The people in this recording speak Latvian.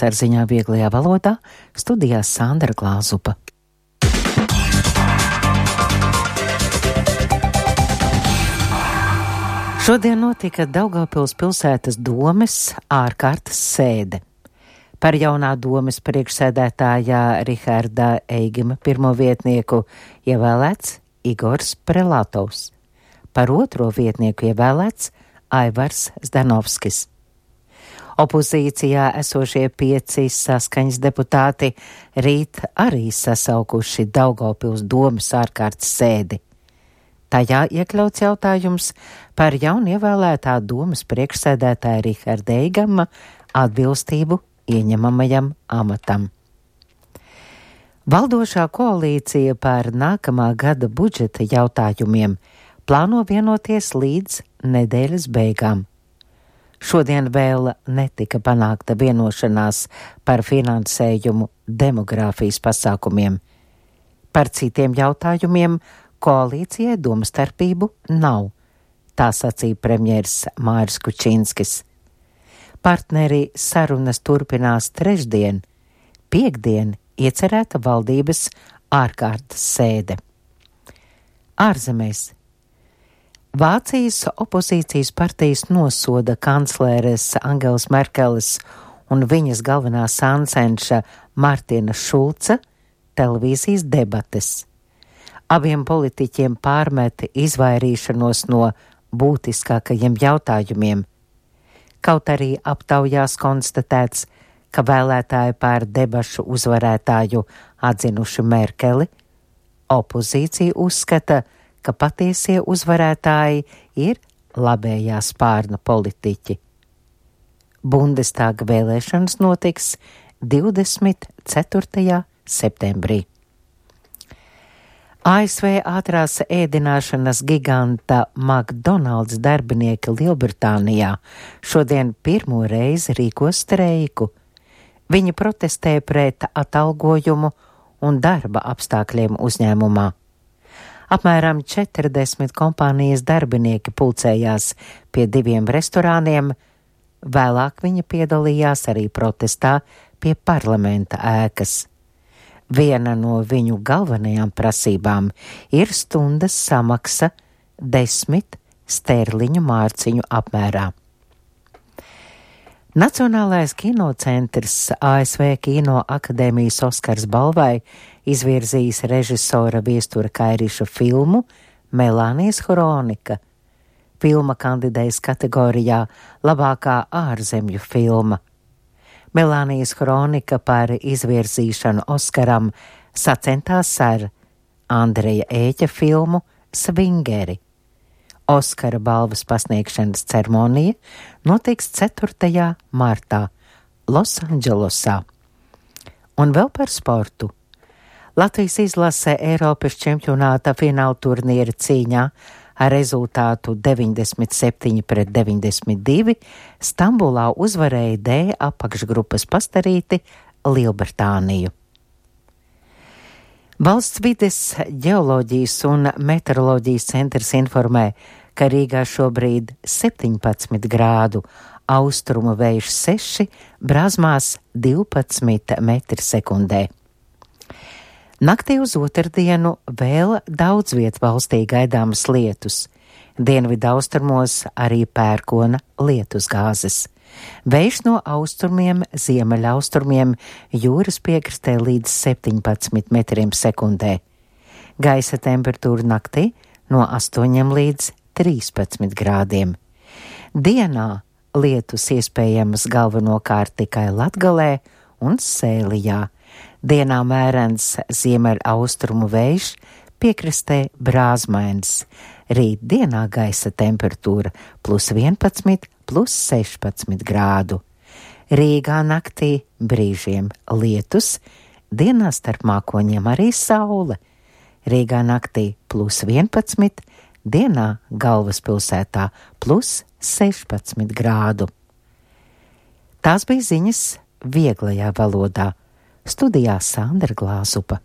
Laiks ar ziņām vieglajā valodā, studijā Sandra Glāzupa. Šodien notika Daugavpils pilsētas domes ārkārtas sēde. Par jaunā domes priekšsēdētājā Riharda Eigima pirmo vietnieku ievēlēts Igors Prelatovs. Par otro vietnieku ievēlēts Aivars Zdanovskis. Opozīcijā esošie 5 saskaņas deputāti rīt arī sasaukuši Daugavpils domes ārkārtas sēdi. Tajā iekļauts jautājums par jaunievēlētā domes priekšsēdētāja Riharda Eigama atbilstību ieņemamajam amatam. Valdošā koalīcija par nākamā gada budžeta jautājumiem plāno vienoties līdz nedēļas beigām. Šodien vēl netika panākta vienošanās par finansējumu demogrāfijas pasākumiem. Par citiem jautājumiem koalīcijai domstarpību nav, tā sacīja premjers Māris Kučinskis. Partneri sarunas turpinās trešdien, piektdien iecerēta valdības ārkārtas sēde. Ārzemēs. Vācijas opozīcijas partijas nosoda kancleres Angelas Merkeles un viņas galvenā sāncenša Martina Šulca televīzijas debates. Abiem politiķiem pārmet izvairīšanos no būtiskākajiem jautājumiem. Kaut arī aptaujās konstatēts, ka vēlētāji par debašu uzvarētāju atzinuši Merkeli, opozīcija uzskata, ka patiesie uzvarētāji ir labējā spārna politiķi. Bundestāga vēlēšanas notiks 24. septembrī. ASV ātrās ēdināšanas giganta McDonald's darbinieki Lielbritānijā šodien pirmo reizi rīkos streiku. Viņi protestē pret atalgojumu un darba apstākļiem uzņēmumā. Apmēram 40 kompānijas darbinieki pulcējās pie 2 restorāniem, vēlāk viņi piedalījās arī protestā pie parlamenta ēkas. Viena no viņu galvenajām prasībām ir stundas samaksa 10 sterliņu mārciņu apmērā. Nacionālais kinocentrs ASV Kino akadēmijas Oskars balvai izvirzījis režisora Viestura Kairiša filmu Melānijas Hronika. Filma kandidējas kategorijā labākā ārzemju filma. Melānijas Hronika par izvirzīšanu Oskaram sacentās ar Andreja Ēķa filmu Svingeri. Oskara balvas pasniegšanas ceremonija notiks 4. martā Losandželosā. Un vēl par sportu. Latvijas izlase Eiropas čempionāta fināla turnīra cīņā ar rezultātu 97-92 Stambulā uzvarēja D apakšgrupas pastarīti Lielbritāniju. Valsts vides ģeoloģijas un meteoroloģijas centrs informē, ka Rīgā šobrīd 17 grādu, austrumu vējš 6, Brāzmās 12 metri sekundē. Naktī uz otrdienu vēl daudz viet valstī gaidāmas lietus. Dienvidu austrumos arī pērkona lietusgāzes. Vējš no austrumiem, ziemeļaustrumiem jūras piekrastē līdz 17 metriem sekundē. Gaisa temperatūra naktī no 8 līdz 13 grādiem. Dienā lietus iespējamas galvenokārt tikai Latgalē un Sēlijā. Dienā mērens ziemeļaustrumu vējš, piekrastē brāzmains. Rīt dienā gaisa temperatūra +11, +16 grādu. Rīgā naktī brīžiem lietus, dienā starp mākoņiem arī saule. Rīgā naktī +11, dienā galvaspilsētā +16 grādu. Tās bija ziņas vieglajā valodā. Studijā Sandra Glāzupa.